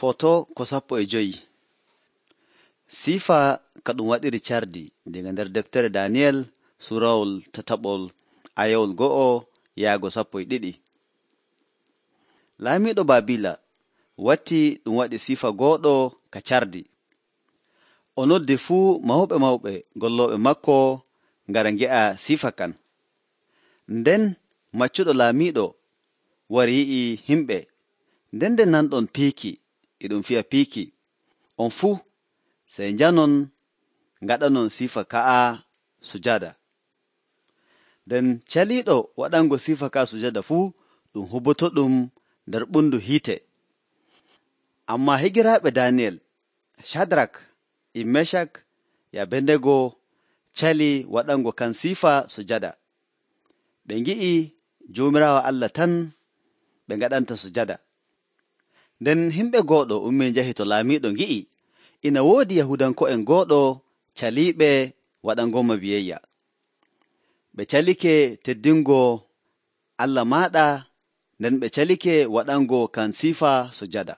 Foto ko 15. Siifa ka ɗum waɗiri cardi diga nder deftere Daniyel surawol tataɓol ayawol 1-12. Laamiiɗo Baabila watti ɗum waɗi siifa gooɗo ka cardi. O noddi fuu mawɓe gollooɓe makko ngara nge'a siifa kan. Nden maccuɗo laamiiɗo wari yi'i himɓe, nden nanɗon piiki e ɗum fi'a piiki, on fuu sey njanon ngaɗanon siifa ka'a sujada. Nden caliiɗo waɗango siifa ka'a sujada fuu ɗum hubotoɗum nder ɓundu hiite. Ammaa higiraaɓe Daniyel, Cadrak e Meshak e Abednego cali waɗango kan siifa sujada. Ɓe ngi'i Joomiraawo Allah tan ɓe ngaɗanta sujada. Nden himɓe gooɗo ummii njahi to laamiiɗo ngi'i ina woodi Yahuudanko'en gooɗo caliiɓe waɗangomo biyayya. Ɓe calike teddingo Allah maaɗa, nden ɓe calike waɗango kan siifa sujada.